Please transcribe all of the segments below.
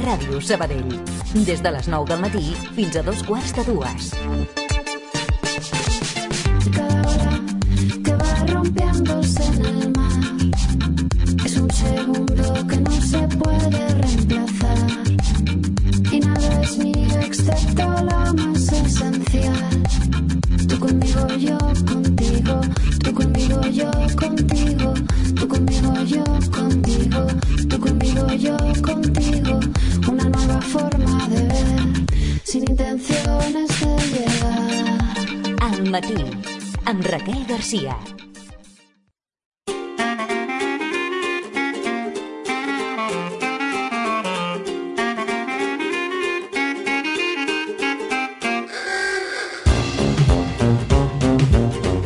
Ràdio Sabadell. Des de les 9 del matí fins a 2:15. Cada hora que va rompiéndose en el mar es un segundo que no se puede reemplazar. Y nada es mío excepto lo más esencial. Tú conmigo, yo contigo. Tú conmigo, yo contigo. Tú conmigo, yo contigo. Tú conmigo, yo contigo. Una nueva forma de ver, sin intenciones de llegar. Al matí, amb Raquel Garcia.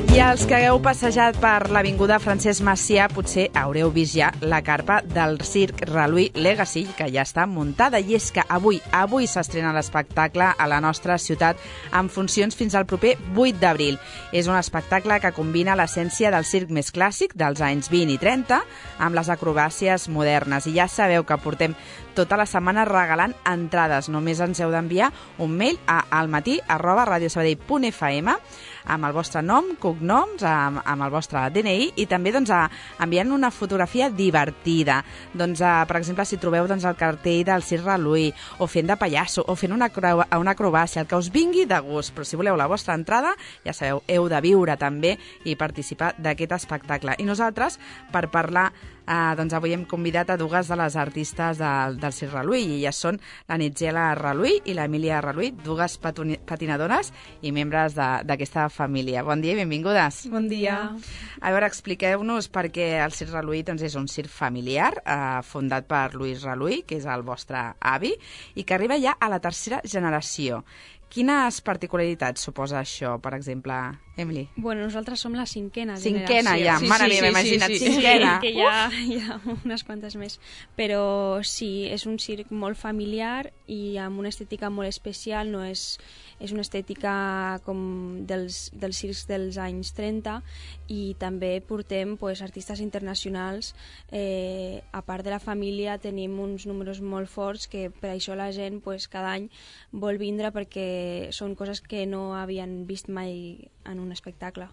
I els que hagueu passejat per l'avinguda Francesc Macià potser haureu vist ja la carpa del Circ Reluí Legacy, que ja està muntada. I és que avui s'estrena l'espectacle a la nostra ciutat amb funcions fins al proper 8 d'abril. És un espectacle que combina l'essència del circ més clàssic dels anys 20 i 30 amb les acrobàcies modernes. I ja sabeu que portem tota la setmana regalant entrades. Només ens heu d'enviar un mail a almatí@radiosabadell.fm amb el vostre nom, cognoms, amb el vostre DNI i també enviant una fotografia divertida. Per exemple, si trobeu el cartell del Circ Reluí, o fent de pallasso, o fent una acrobàcia, el que us vingui de gust. Però si voleu la vostra entrada, ja sabeu, heu de viure també i participar d'aquest espectacle. I nosaltres, per parlar, avui hem convidat a dues de les artistes del Circ Reluí, i elles són la Nitgela Reluí i l'Emília Reluí, dues patinadores i membres d'aquesta família. Bon dia i benvingudes. Bon dia. A veure, expliqueu-nos perquè el Circ Reluí és un circ familiar fundat per Lluís Reluí, que és el vostre avi, i que arriba ja a la tercera generació. Quines particularitats suposa això, per exemple, Emily? Bueno, nosaltres som la cinquena generació. Cinquena, ja, mare meva, imagina't, cinquena. Que hi ha unes quantes més. Però sí, és un circ molt familiar i amb una estètica molt especial, no és una estètica com dels circs dels anys 30, i també portem artistes internacionals. A part de la família tenim uns números molt forts que per això la gent cada any vol vindre, perquè són coses que no havien vist mai en un espectacle.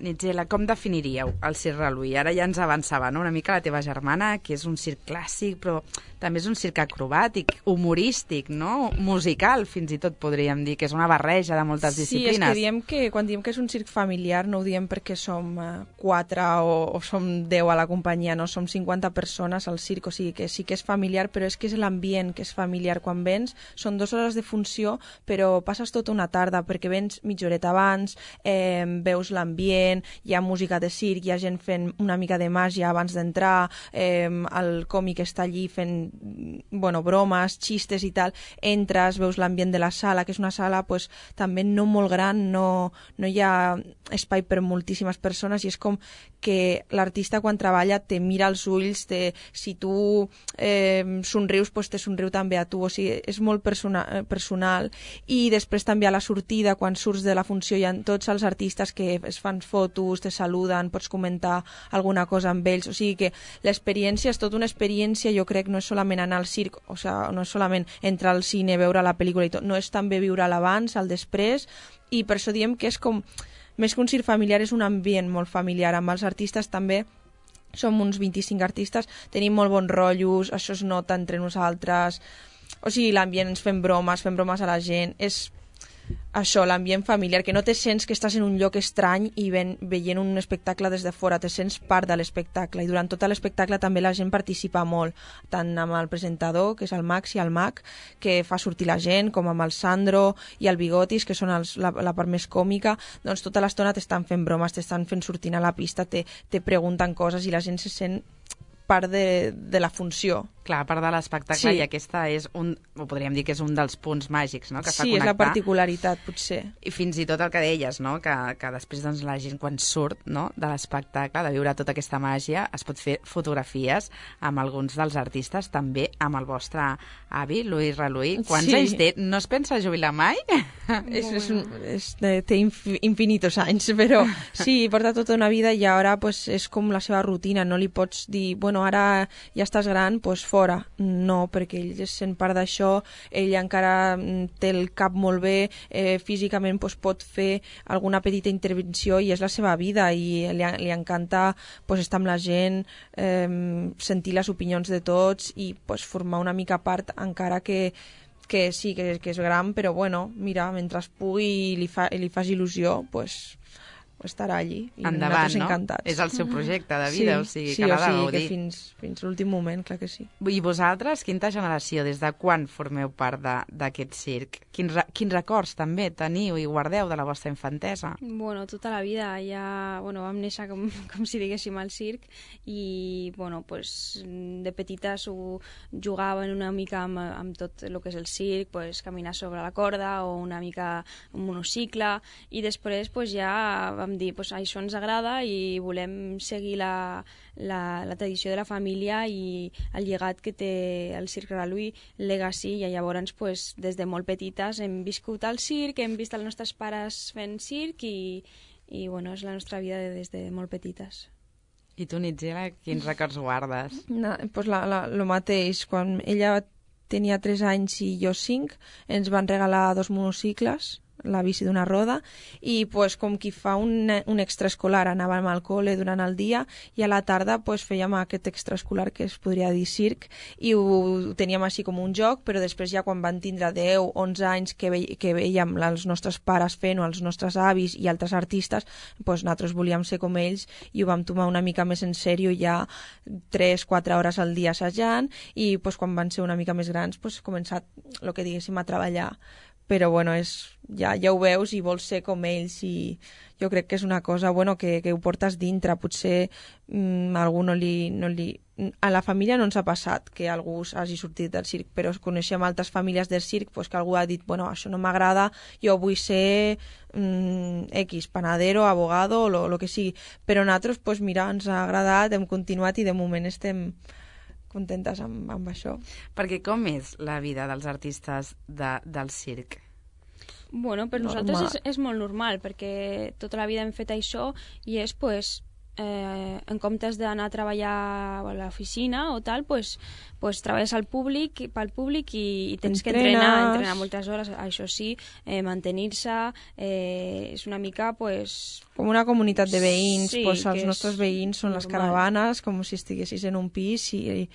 Nitgela, com definiríeu el Circ Reluí? Ara ja ens avançava una mica la teva germana, que és un circ clàssic, però també és un circ acrobàtic, humorístic, no? Musical, fins i tot podríem dir, que és una barreja de moltes disciplines. Sí, és que quan diem que és un circ familiar no ho diem perquè som 4 o som 10 a la companyia, no? Som 50 persones al circ, o sigui que sí que és familiar, però és que és l'ambient que és familiar. Quan vens, són 2 hores de funció, però passes tota una tarda, perquè vens mitja horeta abans, veus l'ambient, hi ha música de circ, hi ha gent fent una mica de màgia abans d'entrar, el còmic està allí fent bromes, xistes i tal, entres, veus l'ambient de la sala, que és una sala també no molt gran, no hi ha espai per moltíssimes persones, i és com que l'artista quan treballa te mira als ulls, si tu somrius, te somriu també a tu, o sigui, és molt personal. I després també a la sortida, quan surts de la funció, hi ha tots els artistes que es fan fotos, te saluden, pots comentar alguna cosa amb ells, o sigui que l'experiència és tota una experiència. Jo crec que no és solament anar al circ, o sigui, no és solament entrar al cine, veure la pel·lícula i tot, no, és també viure l'abans, el després, i per això diem que és com, més que un circ familiar, és un ambient molt familiar. Amb els artistes també som uns 25 artistes, tenim molt bons rotllos, això es nota entre nosaltres, o sigui, l'ambient, ens fem bromes a la gent, és això, l'ambient familiar, que no te sents que estàs en un lloc estrany i veient un espectacle des de fora, te sents part de l'espectacle, i durant tot l'espectacle també la gent participa molt, tant amb el presentador, que és el Max, i el Mac, que fa sortir la gent, com amb el Sandro i el Bigotis, que són la part més còmica. Doncs tota l'estona t'estan fent bromes, t'estan fent sortir a la pista, te pregunten coses i la gent se sent part de la funció. Clar, a part de l'espectacle, sí. I aquesta és o podríem dir que és un dels punts màgics, no?, que fa connectar. Sí, és la particularitat, potser. I fins i tot el que deies, no?, que després la gent quan surt, no?, de l'espectacle, de viure tota aquesta màgia, es pot fer fotografies amb alguns dels artistes, també amb el vostre avi, Lluís Reluí. Quants anys té? No es pensa jubilar mai? Té infinitos anys, però sí, porta tota una vida i ara és com la seva rutina, no li pots dir, bueno, ara ja estàs gran, doncs fora. No, perquè ell sent part d'això, ell encara té el cap molt bé, físicament doncs, pot fer alguna petita intervenció i és la seva vida i li encanta doncs, estar amb la gent, sentir les opinions de tots i doncs, formar una mica part, encara que sí, que és gran, però bueno, mira, mentre pugui i li fas il·lusió, doncs estarà allí i endavant, nosaltres encantats. És el seu projecte de vida, o sigui, sí, que l'ha de que gaudir. fins l'últim moment, clar que sí. I vosaltres, quinta generació, des de quan formeu part d'aquest circ? Quins records també teniu i guardeu de la vostra infantesa? Bueno, tota la vida. Ja vam néixer, com si diguéssim, al circ i, pues, de petites ho jugaven una mica amb tot el que és el circ, pues, caminar sobre la corda o una mica un monocicle, i després pues, ja vam dir, pues, això ens agrada i volem seguir la tradició de la família i el llegat que té el Circ Reluí, Legacy, i llavors pues, des de molt petites hem viscut al circ, hem vist els nostres pares fent circ i bueno, és la nostra vida des de molt petites. I tu, Nitgela, quins records guardes? Pues lo mateix, quan ella tenia 3 anys i jo 5, ens van regalar 2 monocicles, la bici d'una roda, i pues, com qui fa un extraescolar, anàvem al col·le durant el dia i a la tarda pues, fèiem aquest extraescolar que es podria dir circ i ho teníem així com un joc, però després ja quan van tindre 10-11 anys que veiem els nostres pares fent o els nostres avis i altres artistes, pues, nosaltres volíem ser com ells i ho vam tomar una mica més en sèrio, ja 3-4 hores al dia assajant, i pues, quan van ser una mica més grans pues, començat el que diguéssim a treballar. Però bueno, ja ho veus i vols ser com ells i jo crec que és una cosa que ho portes dintre. Potser a algú no li... A la família no ens ha passat que algú hagi sortit del circ, però coneixem altres famílies del circ que algú ha dit, això no m'agrada, jo vull ser X, panadero, abogado, o lo que sigui. Però nosaltres, mira, ens ha agradat, hem continuat i de moment estem contentes amb això. Perquè com és la vida dels artistes del circ? Bueno, per nosaltres és molt normal, perquè tota la vida hem fet això i és, en comptes d'anar a treballar a l'oficina o tal, treballes pel públic i tens que entrenar moltes hores, això sí, mantenir-se, és una mica, com una comunitat de veïns, sí, els nostres veïns són les caravanes, com si estiguessis en un pis i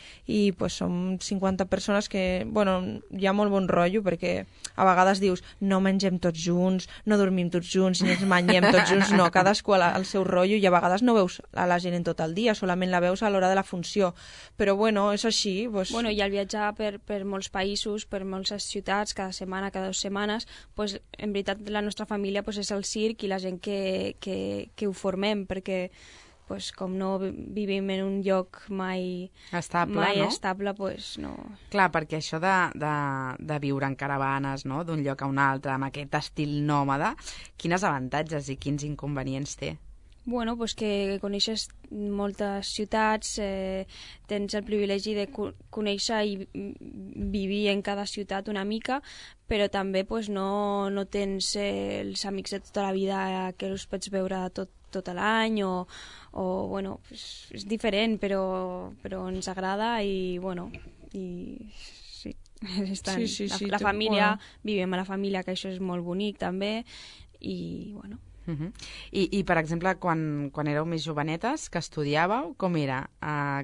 som 50 persones que, hi ha molt bon rotllo, perquè a vegades dius, no mengem tots junts, no dormim tots junts, ni ens manyem tots junts, no, cadascú al seu rotllo, i a vegades no veus a la gent en tot el dia, solament la veus a l'hora de la funció, però és així. I al viatjar per molts països, per moltes ciutats, cada setmana, cada 2 setmanes, en veritat la nostra família és el circ i la gent que ho formem, perquè com no vivim en un lloc mai estable, no. Clar, perquè això de viure en caravanes, no?, d'un lloc a un altre, amb aquest estil nòmada, quins avantatges i quins inconvenients té? Bueno, que coneixes moltes ciutats, tens el privilegi de conèixer i vivir en cada ciutat una mica, però també no tens els amics de tota la vida que els pots veure tot l'any és diferent, però ens agrada i sí. Sí, la família, vivim a la família, que això és molt bonic també, i I per exemple, quan éreu més jovenetes, que estudiàveu, com era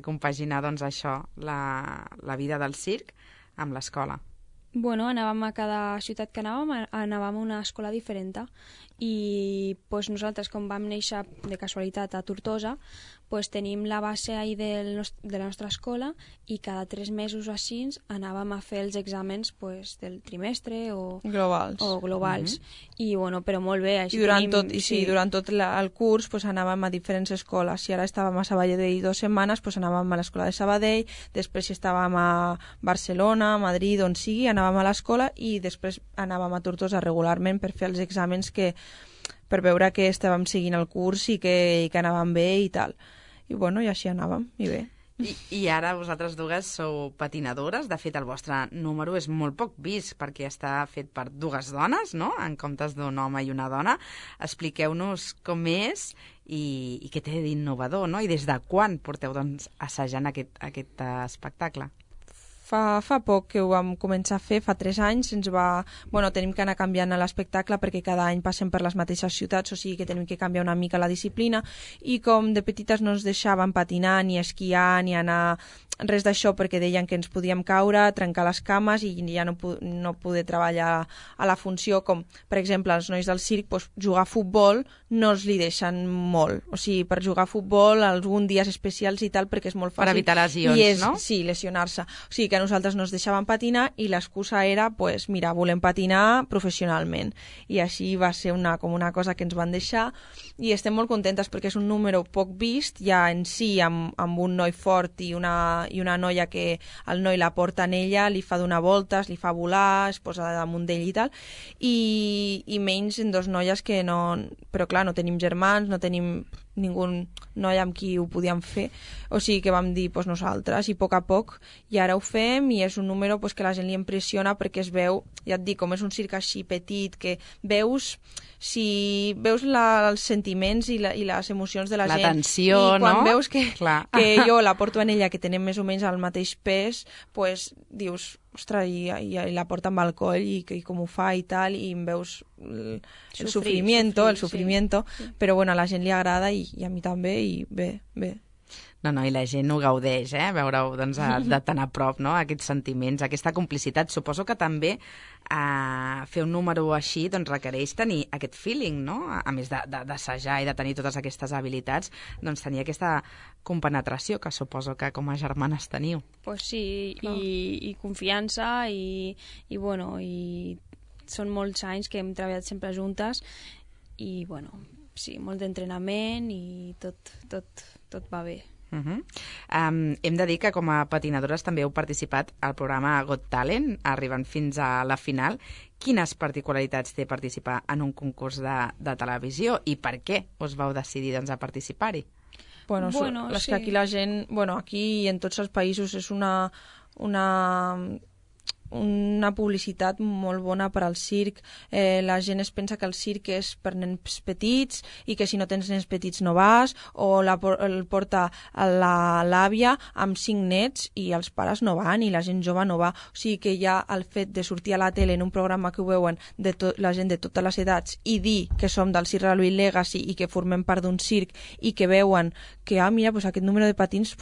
compaginar això, la vida del circ amb l'escola? Anàvem a cada ciutat que anàvem a una escola diferent i nosaltres, com vam néixer de casualitat a Tortosa, tenim la base ahí de la nostra escola i cada 3 mesos o així anàvem a fer els exàmens del trimestre o globals. I però molt bé. I durant tot el curs anàvem a diferents escoles. Si ara estàvem a Sabadell 2 setmanes, anàvem a l'escola de Sabadell, després si estàvem a Barcelona, a Madrid, on sigui, anàvem a l'escola i després anàvem a Tortosa regularment per fer els exàmens per veure que estàvem seguint el curs i que anàvem bé i tal. I així anàvem, i bé. I ara vosaltres dues sou patinadores. De fet, el vostre número és molt poc vist perquè està fet per dues dones, no?, en comptes d'un home i una dona. Expliqueu-nos com és i què té d'innovador, no? I des de quan porteu doncs, assajant aquest espectacle? Fa poc que ho vam començar a fer, fa 3 anys, tenim que anar canviant l'espectacle perquè cada any passem per les mateixes ciutats, o sigui que tenim que canviar una mica la disciplina, i com de petites no ens deixaven patinar, ni esquiar, ni anar res d'això perquè deien que ens podíem caure, trencar les cames i ja no poder treballar a la funció, com per exemple els nois del circ, jugar a futbol no els li deixen molt, o sigui, per jugar a futbol alguns dies especials i tal, perquè és molt fàcil. Per evitar lesions, no? Sí, lesionar-se. O sigui que a nosaltres no ens deixaven patinar i l'excusa era, mira, volem patinar professionalment. I així va ser com una cosa que ens van deixar i estem molt contentes perquè és un número poc vist, ja en si amb un noi fort i una noia que el noi la porta en ella, li fa donar voltes, li fa volar, es posa damunt d'ell i tal, i menys en 2 noies que no... Però clar, no tenim germans, no tenim ningú noi amb qui ho podíem fer, o sigui que vam dir nosaltres, i a poc, i ara ho fem, i és un número que la gent li impressiona perquè es veu, ja et dic, com és un circ així petit, que veus els sentiments i les emocions de la gent. La tensió, no? I quan veus que jo la porto en ella, que tenem més o menys el mateix pes, dius, ostres, i la porta amb el coll i com ho fa i tal, i em veus el sufrimiento, sí. Però a la gent li agrada i a mi també, i bé. No, i la gent ho gaudeix, veure-ho doncs, de tan a prop, no?, aquests sentiments, aquesta complicitat. Suposo que també fer un número així doncs, requereix tenir aquest feeling, no?, a més d'assajar i de tenir totes aquestes habilitats, doncs tenir aquesta compenetració que suposo que com a germanes teniu. Pues sí, i confiança i són molts anys que hem treballat sempre juntes i sí, molt d'entrenament i tot va bé. Hem de dir que com a patinadores també heu participat al programa Got Talent, arribant fins a la final. Quines particularitats té participar en un concurs de televisió i per què us vau decidir doncs, a participar-hi? És que aquí la gent, aquí i en tots els països és una publicitat molt bona per al circ. La gent es pensa que el circ és per nens petits i que si no tens nens petits no vas, o el porta l'àvia amb 5 nets i els pares no van i la gent jove no va. O sigui que ja el fet de sortir a la tele en un programa que ho veuen la gent de totes les edats i dir que som del Circ Reluí Legacy i que formem part d'un circ i que veuen que, mira, aquest número de patins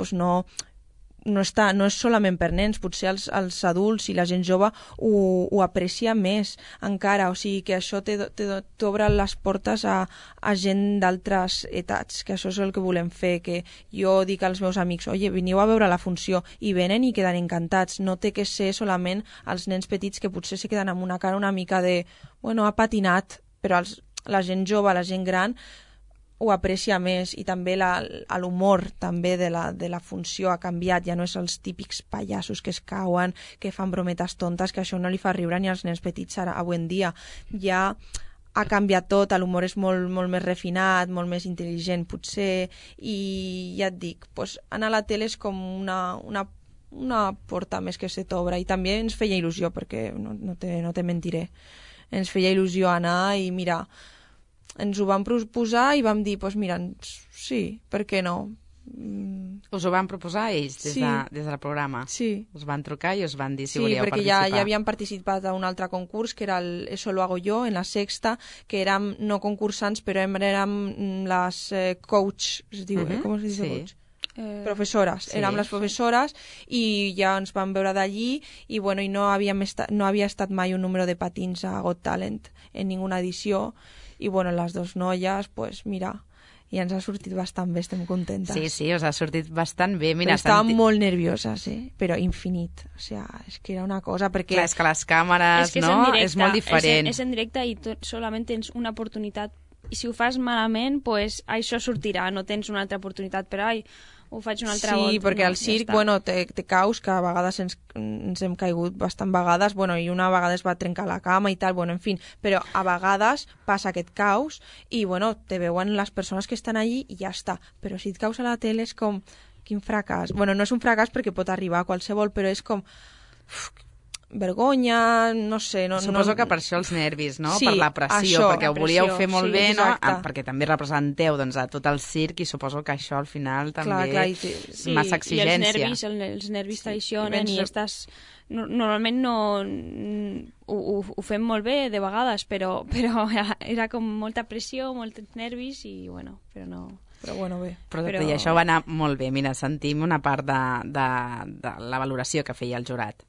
no és solament per nens, potser els adults i la gent jove ho aprecia més encara, o sigui que això t'obre les portes a gent d'altres etats, que això és el que volem fer, que jo dic als meus amics, veniu a veure la funció, i venen i queden encantats, no té que ser solament els nens petits que potser se queden amb una cara una mica de, ha patinat, però la gent jove, la gent gran ho aprecia més, i també l'humor també de la funció ha canviat, ja no és els típics pallassos que es cauen, que fan brometes tontes, que això no li fa riure ni als nens petits avui en dia. Ja ha canviat tot, l'humor és molt, molt més refinat, molt més intel·ligent potser, i ja et dic, anar a la tele és com una porta més que se t'obre, i també ens feia il·lusió, perquè no te mentiré, ens feia il·lusió anar i mira, ens ho vam proposar i vam dir, mira, sí, per què no? Us ho van proposar ells des del programa? Sí. Us van trucar i us van dir si volíeu participar? Sí, perquè ja havíem participat a un altre concurs, que era el Eso lo hago yo, en la Sexta, que érem no concursants, però érem les coach, es diu, com es diu coach? Professores, érem les professores i ja ens vam veure d'allí i no havia estat mai un número de patins a Got Talent en ninguna edició i les 2 noies, mira, i ens ha sortit bastant bé, estem contentes. Sí, us ha sortit bastant bé. Mira, estàvem molt nervioses, però infinit. O sigui, és que era una cosa, perquè... Clar, és que les càmeres, no? És molt diferent. És en directe i solament tens una oportunitat. I si ho fas malament, això sortirà. No tens una altra oportunitat, però ho faig una altra volta. Sí, perquè al circ, té caus, que a vegades ens hem caigut bastant vegades, i una vegada es va trencar la cama i tal, en fi, però a vegades passa aquest caus i, te veuen les persones que estan allí i ja està. Però si et caus a la tele és com, quin fracàs. Bueno, no és un fracàs perquè pot arribar a qualsevol, però és com... vergonya, no sé... Suposo que per això els nervis, no? Sí, per la pressió, això, perquè ho la volíeu pressió, fer molt sí, bé, no? exacte. Perquè també representeu doncs, a tot el circ i suposo que això al final també Clar, sí, massa exigència. I els nervis traicionen i estàs... Normalment no... Ho fem molt bé de vegades, però era com molta pressió, molts nervis i bueno, però no... Però bueno, bé. Però això va anar molt bé. Mira, sentim una part de la valoració que feia el jurat.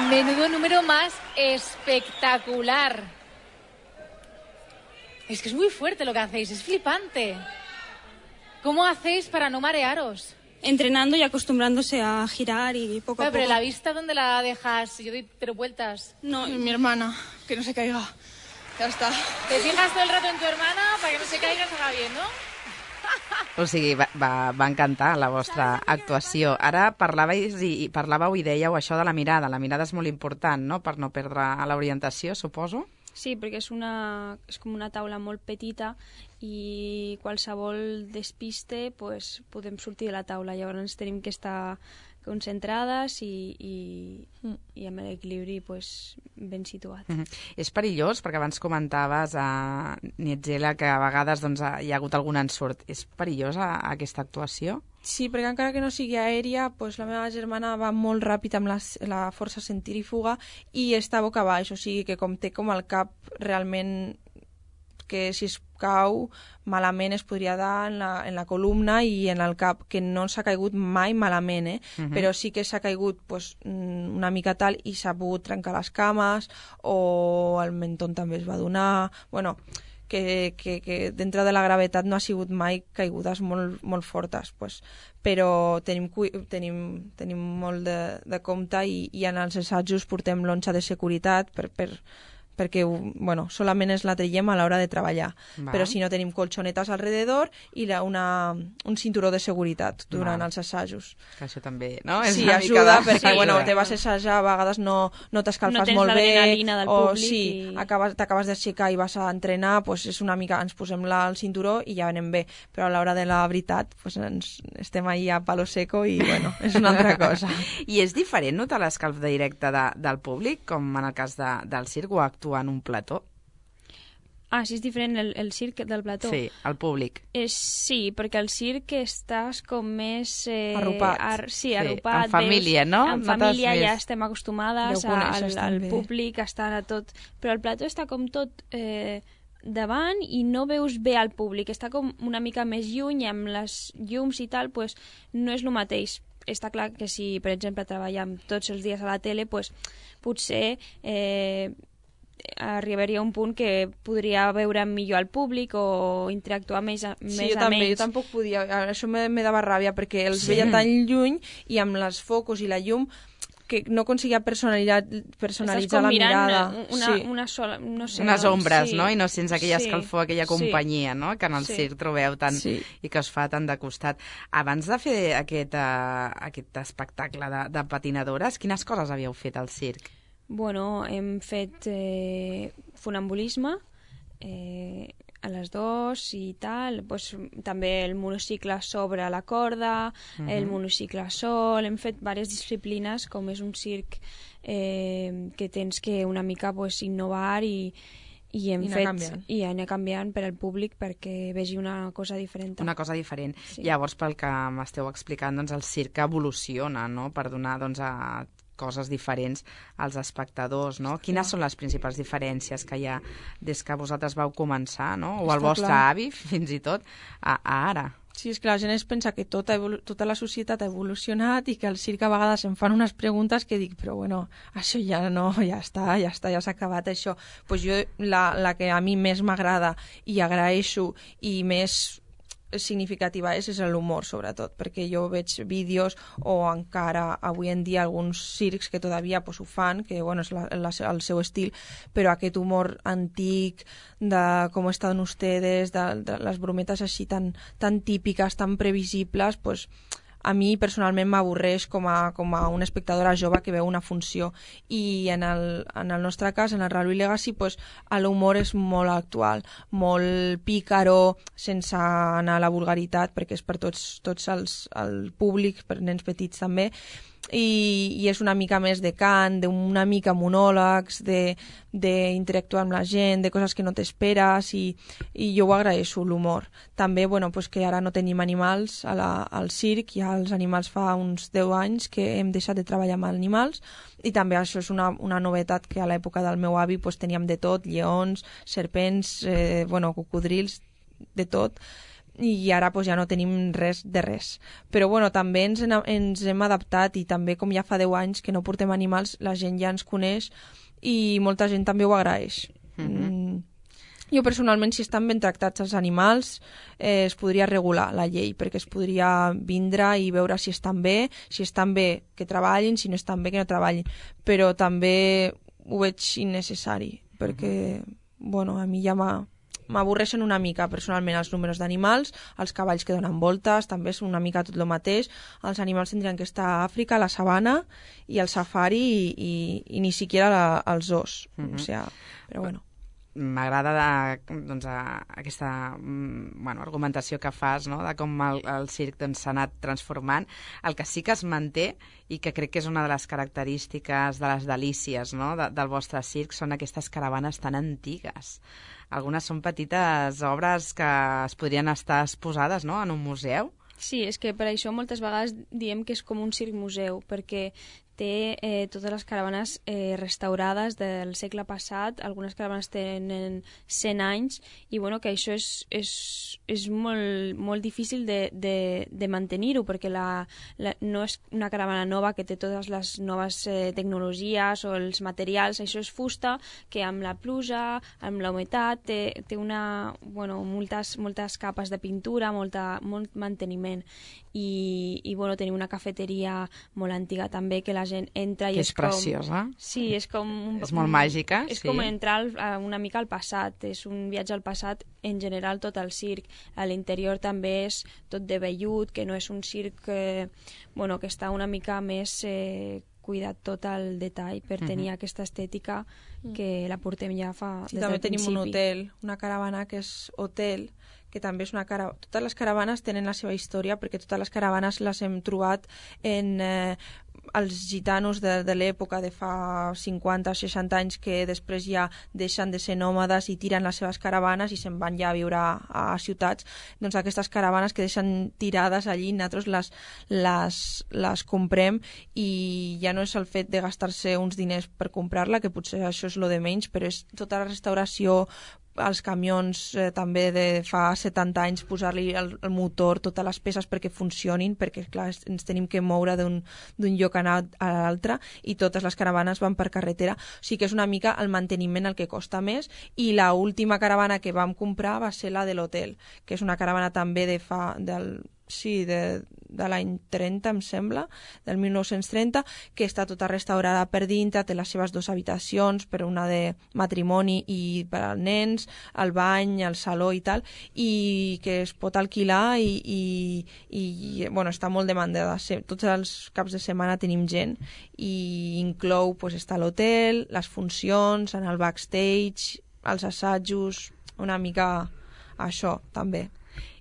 Menudo número más espectacular. Es que es muy fuerte lo que hacéis, es flipante. ¿Cómo hacéis para no marearos? Entrenando y acostumbrándose a girar y poco a poco. Pero la vista, ¿dónde la dejas? Yo doy 3 vueltas. No, mi hermana, que no se caiga. Ya está. ¿Te fijas todo el rato en tu hermana para que no se caiga y salga bien, no? O sigui, va encantar la vostra actuació. Ara parlàveu i dèieu això de la mirada. La mirada és molt important, no?, per no perdre l'orientació, suposo. Sí, perquè és com una taula molt petita i qualsevol despiste pues, podem sortir de la taula. Llavors tenim que estar concentrades i amb l'equilibri pues, ben situat. És perillós, perquè abans comentaves Nietzela, que a vegades doncs, hi ha hagut algun ensurt. És perillosa aquesta actuació? Sí, perquè encara que no sigui aèria, pues, la meva germana va molt ràpid amb la força centrífuga i està boca baix, o sigui que com té com el cap realment que si es cau malament es podria dar en la columna i en el cap, que no s'ha caigut mai malament, però sí que s'ha caigut pues, una mica tal i s'ha pogut trencar les cames o el mentón també es va donar... Bueno, que dintre de la gravetat no ha sigut mai caigudes molt, molt fortes, pues. Però tenim molt de compte i en els assajos portem l'onxa de seguretat perquè bueno, solament ens la traiem a l'hora de treballar. Però si no tenim colxonetes alrededor i un cinturó de seguretat durant els assajos. Que això també, no? Sí, ajuda perquè bueno, te vas a assajar, a vegades no t'escalfes molt bé o sí, t'acabes d'aixecar i vas a entrenar, pues és una mica, ens posem el cinturó i ja anem bé, però a l'hora de la veritat pues estem ahí a palo seco i bueno, és una altra cosa. I és diferent notar l'escalf directe del públic, com en el cas del circ, o actuar en un plató? Ah, sí, és diferent el circ del plató? Sí, el públic. Sí, perquè al circ estàs com més... arropat. Sí, arropat. En família, no? En família ja estem acostumades al públic, estar a tot... Però el plató està com tot davant i no veus bé al públic. Està com una mica més lluny, amb les llums i tal, pues, no és el mateix. Està clar que si, per exemple, treballem tots els dies a la tele, pues, potser... arribaria a un punt que podria veure millor al públic o interactuar més a jo també, jo tampoc podia, això me dava ràbia perquè els veia tan lluny i amb les focus i la llum que no aconseguia personalitzar la mirada. Una sola, no sé, unes ombres, no? I no sents aquella escalfor, aquella companyia, no? Que en el circ trobeu tant i que us fa tant de costat. Abans de fer aquest espectacle de patinadores, quines coses havíeu fet al circ? Bueno, hem fet funambulisme a les 2 i tal, pues, també el monocicle sobre la corda, el monocicle sol, hem fet diverses disciplines, com és un circ que tens que una mica pues, innovar i anar canviant per al públic perquè vegi una cosa diferent. Una cosa diferent. Sí. Llavors, pel que m'esteu explicant, doncs, el circ evoluciona, no?, per donar doncs, a coses diferents als espectadors, no? Quines són les principals diferències que hi ha des que vosaltres vau començar, no? O el vostre avi, fins i tot, a ara? Sí, és que la gent es pensa que tota la societat ha evolucionat i que al circ a vegades em fan unes preguntes que dic, però bueno, això ja no, ja s'ha acabat això. Pues jo, la que a mi més m'agrada i agraeixo i més significativa és l'humor, sobretot, perquè jo veig vídeos o encara avui en dia alguns circs que todavía pues, ho fan, que bueno, és el seu estil, però aquest humor antic de com estan ustedes, de les brometes així tan típiques, tan previsibles, pues, a mi personalment m'avorreix com a una espectadora jove que veu una funció, i en el nostre cas, en el Real Legacy, pues, l'humor és molt actual, molt pícaro, sense anar a la vulgaritat, perquè és per tots el públic, per nens petits també, i és una mica més de cant, una mica monòlegs, d'interactuar amb la gent, de coses que no t'esperes, i jo ho agraeixo, l'humor. També, bueno, pues que ara no tenim animals al circ, ja els animals fa uns 10 anys que hem deixat de treballar amb animals, i també això és una novetat, que a l'època del meu avi pues, teníem de tot, lleons, serpents, cocodrils, de tot, i ara pues, ja no tenim res de res. Però bueno, també ens hem adaptat, i també com ja fa 10 anys que no portem animals, la gent ja ens coneix i molta gent també ho agraeix. Jo personalment, si estan ben tractats els animals, es podria regular la llei, perquè es podria vindre i veure si estan bé que treballin, si no estan bé que no treballin, però també ho veig innecessari, perquè bueno, a mi ja m'avorreixen una mica personalment els números d'animals, els cavalls que donen voltes, també és una mica tot el mateix. Els animals tindrien que estar a Àfrica, a la sabana i al safari, i ni siquiera als zoos. O sigui, però bueno. M'agrada doncs, aquesta argumentació que fas, no? De com el circ s'ha anat transformant. El que sí que es manté, i que crec que és una de les característiques de les delícies, no? Del vostre circ, són aquestes caravanes tan antigues. Algunes són petites obres que es podrien estar exposades, no?, en un museu. Sí, és que per això moltes vegades diem que és com un circ-museu, perquè té totes les caravanes restaurades del segle passat, algunes caravanes tenen 100 anys, i bueno, que això és molt difícil de mantenir-ho, perquè no és una caravana nova que té totes les noves tecnologies o els materials, això és fusta que amb la pluja, amb la humitat, té moltes capes de pintura, molt manteniment, i bueno, tenim una cafeteria molt antiga també, que la gent entra i que és preciosa. Sí, és com... És molt màgica, és com entrar una mica al passat, és un viatge al passat en general tot el circ. A l'interior també és tot de vellut, que no és un circ que està una mica més cuidat tot el detall per tenir aquesta estètica que la portem ja fa des del principi. També tenim un hotel, una caravana que és hotel, que també és una caravana... Totes les caravanes tenen la seva història, perquè totes les caravanes les hem trobat en els gitanos de l'època de fa 50 o 60 anys, que després ja deixen de ser nòmades i tiren les seves caravanes i se'n van ja a viure a ciutats. Doncs aquestes caravanes que deixen tirades allí, nosaltres les comprem, i ja no és el fet de gastar-se uns diners per comprar-la, que potser això és lo de menys, però és tota la restauració, els camions també de fa 70 anys, posar-li el motor, totes les peces perquè funcionin, perquè clar, ens tenim que moure d'un lloc a l'altre, i totes les caravanes van per carretera, o sigui que és una mica el manteniment el que costa més. I l'última caravana que vam comprar va ser la de l'hotel, que és una caravana també de l'any 30, em sembla, del 1930, que està tota restaurada per dintre, té les seves 2 habitacions, per una de matrimoni i per als nens, el bany, el saló i tal, i que es pot alquilar, i bueno, està molt demandada. Tots els caps de setmana tenim gent, i inclou està l'hotel, les funcions, en el backstage, els assajos, una mica això també.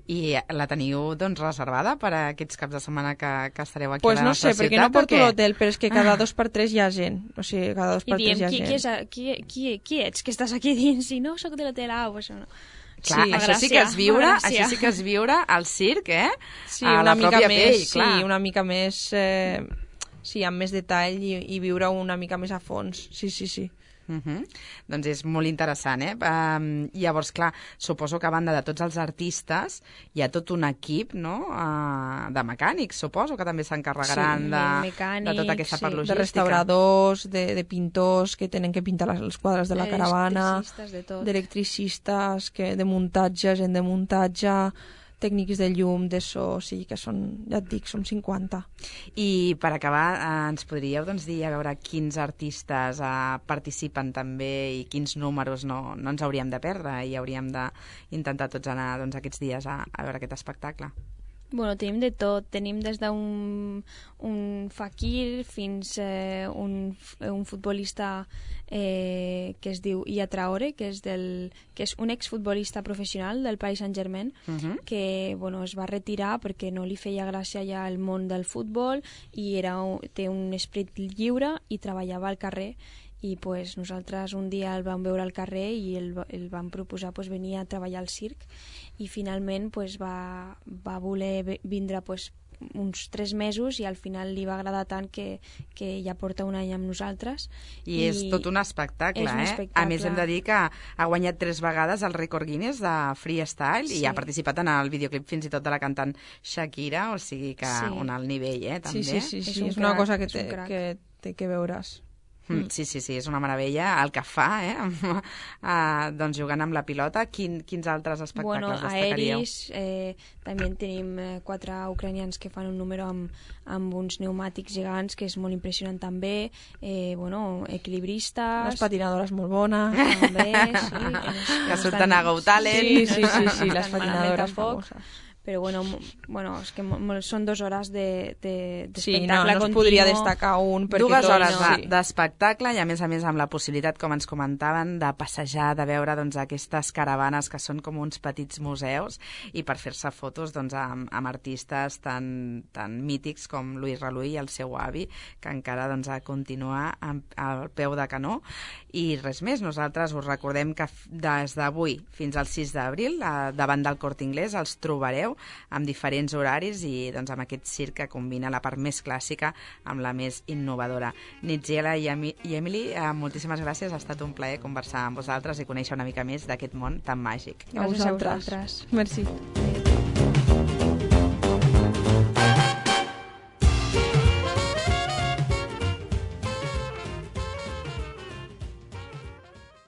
I la teniu reservada per a aquests caps de setmana que estareu aquí a la nostra ciutat? Pues no sé, perquè no porto l'hotel, però és que cada 2 per 3 hi ha gent. O sigui, cada 2 per 3 hi ha gent. Qui ets que estàs aquí dins? Si no, soc de l'hotel, això no. Clar, això sí que és viure al circ, Sí, a la pròpia pell, clar. Sí, una mica més... amb més detall, i viure una mica més a fons. Sí. Doncs és molt interessant, llavors, clar, suposo que a banda de tots els artistes hi ha tot un equip, no?, de mecànics, suposo que també s'encarregaran de tota aquesta part logística. De restauradors, de pintors que tenen que pintar els quadres de la caravana, d'electricistes, de muntatge, gent de muntatge, tècnics de llum, de so, sí, que són, ja et dic, som 50. I per acabar, ens podríeu dir a veure quins artistes participen també i quins números no ens hauríem de perdre i hauríem d'intentar tots anar aquests dies a veure aquest espectacle? Bueno, tenim de tot. Tenim des d'un faquir fins a un futbolista que es diu Iya Traore, que és un exfutbolista professional del Paris Saint-Germain, que es va retirar perquè no li feia gràcia ja el món del futbol i té un esperit lliure i treballava al carrer. I nosaltres un dia el vam veure al carrer i el vam proposar venir a treballar al circ i finalment va voler vindre uns 3 mesos i al final li va agradar tant que ja porta un any amb nosaltres. I és tot un espectacle, A més hem de dir que ha guanyat 3 vegades el rècord Guinness de freestyle i ha participat en el videoclip fins i tot de la cantant Shakira, o sigui que un alt nivell, també. Sí, és una cosa que té que veuràs. Sí, és una meravella el que fa, doncs jugant amb la pilota. Quins altres espectacles destacaríeu? Aeris, també tenim 4 ucranians que fan un número amb uns pneumàtics gegants, que és molt impressionant també, equilibristes... Les patinadores molt bones. També, que surten a Go Talent. Sí, les patinadores famoses. Però és que són 2 hores d'espectacle sí, no es podria destacar un... 2 hores d'espectacle i a més amb la possibilitat, com ens comentaven, de passejar, de veure aquestes caravanes que són com uns petits museus i per fer-se fotos amb artistes tan mítics com Louis Reluy i el seu avi, que encara continua al peu de canó. I res més, nosaltres us recordem que des d'avui fins al 6 d'abril, davant del Corte Inglés, els trobareu amb diferents horaris i amb aquest circ que combina la part més clàssica amb la més innovadora. Nitziela i Emily, moltíssimes gràcies, ha estat un plaer conversar amb vosaltres i conèixer una mica més d'aquest món tan màgic. Gràcies a vosaltres. Merci.